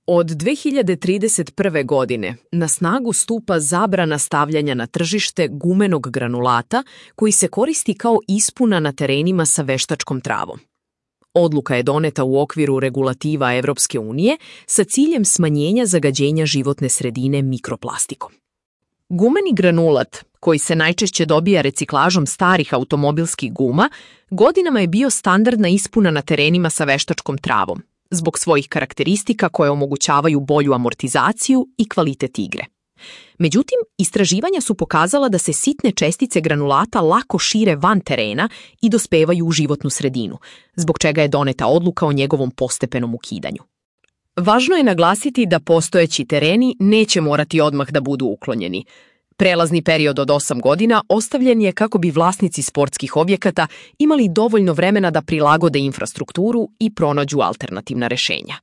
Od 2031. godine na snagu stupa zabrana stavljanja na tržište gumenog granulata koji se koristi kao ispuna na terenima sa veštačkom travom. Odluka je doneta u okviru regulativa Evropske unije sa ciljem smanjenja zagađenja životne sredine mikroplastikom. Gumeni granulat, koji se najčešće dobija reciklažom starih automobilskih guma, godinama je bio standardna ispuna na terenima sa veštačkom travom, zbog svojih karakteristika koje omogućavaju bolju amortizaciju i kvalitet igre. Međutim, istraživanja su pokazala da se sitne čestice granulata lako šire van terena i dospevaju u životnu sredinu, zbog čega je doneta odluka o njegovom postepenom ukidanju. Važno je naglasiti da postojeći tereni neće morati odmah da budu uklonjeni. Prelazni period od 8 godina ostavljen je kako bi vlasnici sportskih objekata imali dovoljno vremena da prilagode infrastrukturu i pronađu alternativna rešenja.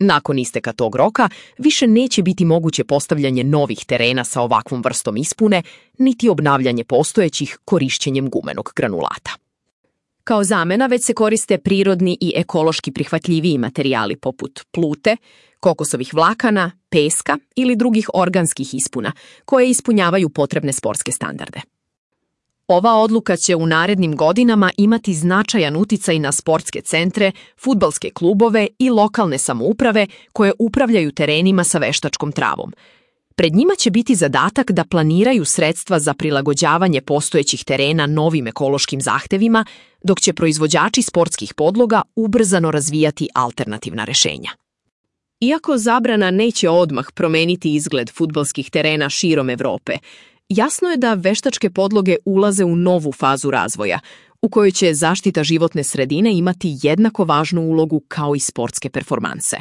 Nakon isteka tog roka, više neće biti moguće postavljanje novih terena sa ovakvom vrstom ispune, niti obnavljanje postojećih korišćenjem gumenog granulata. Kao zamena već se koriste prirodni i ekološki prihvatljiviji materijali poput plute, kokosovih vlakana, peska ili drugih organskih ispuna, koje ispunjavaju potrebne sportske standarde. Ova odluka će u narednim godinama imati značajan uticaj na sportske centre, fudbalske klubove i lokalne samouprave koje upravljaju terenima sa veštačkom travom. Pred njima će biti zadatak da planiraju sredstva za prilagođavanje postojećih terena novim ekološkim zahtevima, dok će proizvođači sportskih podloga ubrzano razvijati alternativna rešenja. Iako zabrana neće odmah promeniti izgled fudbalskih terena širom Evrope, jasno je da veštačke podloge ulaze u novu fazu razvoja, u kojoj će zaštita životne sredine imati jednako važnu ulogu kao i sportske performanse.